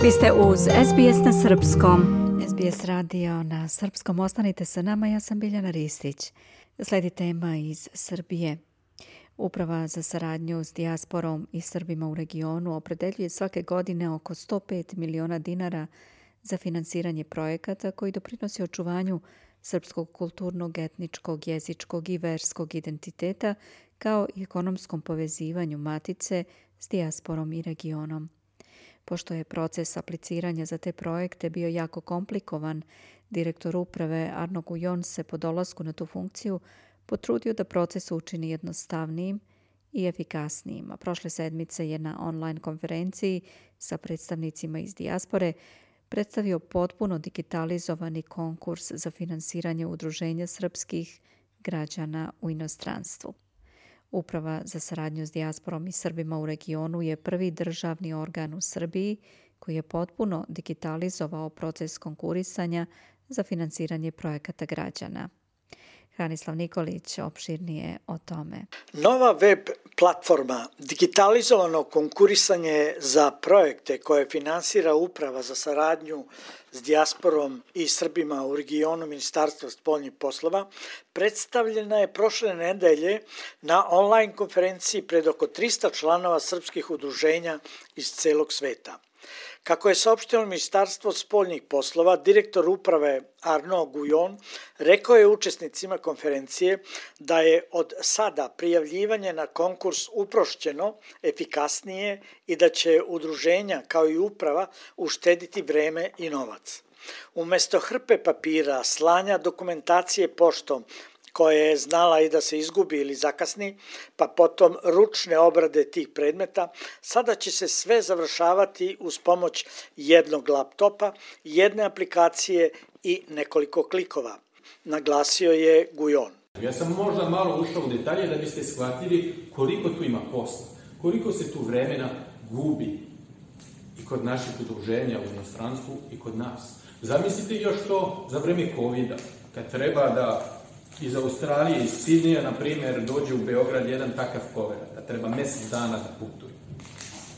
Vi ste uz SBS na Srpskom. SBS radio na Srpskom. Ostanite sa nama, ja sam Biljana Ristić. Slijedi tema iz Srbije. Uprava za saradnju s dijasporom i Srbima u regionu opredeljuje svake godine oko 105 miliona dinara za finansiranje projekata koji doprinosi očuvanju srpskog kulturnog, etničkog, jezičkog i verskog identiteta kao i ekonomskom povezivanju matice s dijasporom i regionom. Pošto je proces apliciranja za te projekte bio jako komplikovan, direktor uprave Arno Gujon se po dolasku na tu funkciju potrudio da proces učini jednostavnijim i efikasnijim. A prošle sedmice je na online konferenciji sa predstavnicima iz dijaspore predstavio potpuno digitalizovani konkurs za finansiranje udruženja srpskih građana u inostranstvu. Uprava za saradnju s dijasporom i Srbima u regionu je prvi državni organ u Srbiji koji je potpuno digitalizovao proces konkurisanja za finansiranje projekata građana. Hranislav Nikolić opširnije o tome. Nova web platforma digitalizovano konkurisanje za projekte koje finansira Uprava za saradnju s dijasporom i Srbima u regionu Ministarstva spoljnih poslova predstavljena je prošle nedelje na online konferenciji pred oko 300 članova srpskih udruženja iz celog sveta. Kako je saopšteno Ministarstvo spoljnih poslova, direktor uprave Arno Gujon rekao je učesnicima konferencije da je od sada prijavljivanje na konkurs uprošćeno, efikasnije i da će udruženja kao i uprava uštediti vreme i novac. Umesto hrpe papira, slanja dokumentacije poštom, koja je znala i da se izgubi ili zakasni, pa potom ručne obrade tih predmeta, sada će se sve završavati uz pomoć jednog laptopa, jedne aplikacije i nekoliko klikova, naglasio je Gujon. Ja sam možda malo ušao u detalje da biste shvatili koliko tu ima posla, koliko se tu vremena gubi i kod naših udruženja u inostranstvu i kod nas. Zamislite još to za vreme COVID-a, kad treba da iz Australije, iz Sidneja, na primjer, dođe u Beograd jedan takav povrat, da treba mjesec dana da putuje.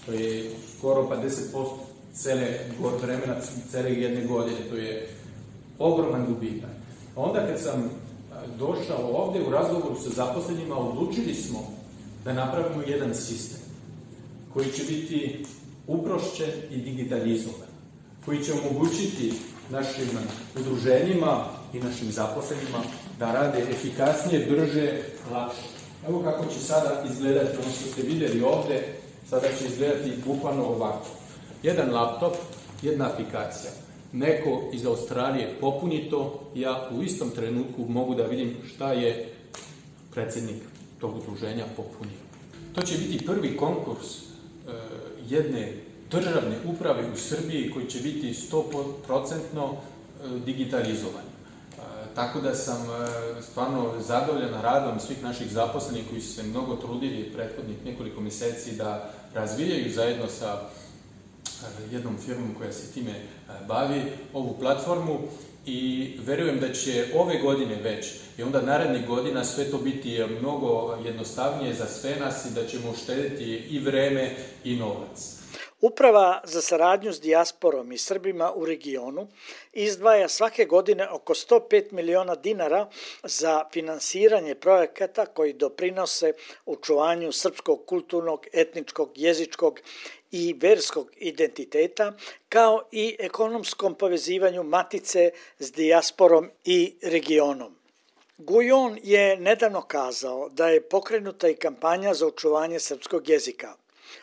To je skoro pa 10% cele vremena, cele jedne godine. To je ogroman gubitak. Onda kad sam došao ovde u razgovoru sa zaposlenima, odlučili smo da napravimo jedan sistem koji će biti uprošćen i digitalizovan, koji će omogućiti našim udruženjima i našim zaposlenima da rade efikasnije, brže, lakše. Evo kako će sada izgledati, ono što ste vidjeli ovde, sada će izgledati bukvalno ovako. Jedan laptop, jedna aplikacija. Neko iz Australije popuni to, ja u istom trenutku mogu da vidim šta je predsjednik tog udruženja popunio. To će biti prvi konkurs jedne državne uprave u Srbiji koji će biti 100% digitalizovan. Tako da sam stvarno zadovoljan radom svih naših zaposlenih koji su se mnogo trudili prethodnih nekoliko mjeseci da razvijaju zajedno sa jednom firmom koja se time bavi ovu platformu i verujem da će ove godine već i onda narednih godina sve to biti mnogo jednostavnije za sve nas i da ćemo uštediti i vreme i novac. Uprava za saradnju s dijasporom i Srbima u regionu izdvaja svake godine oko 105 miliona dinara za finansiranje projekata koji doprinose očuvanju srpskog kulturnog, etničkog, jezičkog i verskog identiteta, kao i ekonomskom povezivanju matice s dijasporom i regionom. Gujon je nedavno kazao da je pokrenuta i kampanja za očuvanje srpskog jezika.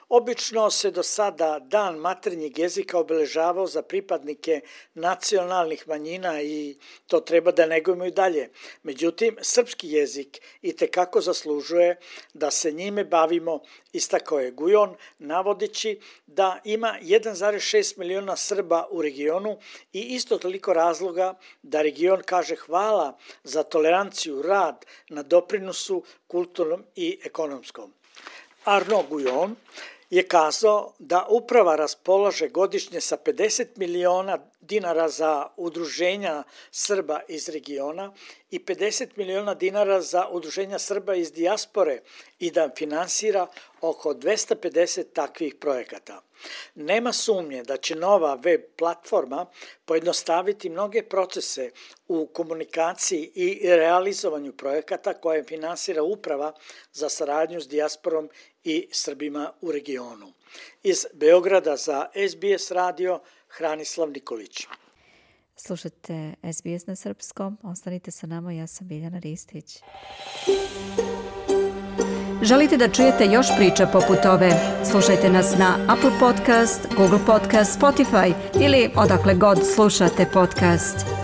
Obično se do sada Dan maternjeg jezika obeležavao za pripadnike nacionalnih manjina i to treba da negujemo i dalje. Međutim, srpski jezik itekako zaslužuje da se njime bavimo, istakao je Gujon, navodeći da ima 1,6 miliona Srba u regionu i isto toliko razloga da region kaže hvala za toleranciju, rad na doprinosu kulturnom i ekonomskom. Arno Gujon je kazao da uprava raspolaže godišnje sa 50 miliona dinara za udruženja Srba iz regiona i 50 miliona dinara za udruženja Srba iz dijaspore i da finansira oko 250 takvih projekata. Nema sumnje da će nova web platforma pojednostaviti mnoge procese u komunikaciji i realizovanju projekata koje finansira Uprava za saradnju s dijasporom i Srbima u regionu. Iz Beograda za SBS radio, Hranislav Nikolić. Slušajte SBS na srpskom, ostanite sa nama, ja sam Biljana Ristić. Želite da čujete još priča poput ove? Slušajte nas na Apple Podcast, Google Podcast, Spotify ili odakle god slušate podcast.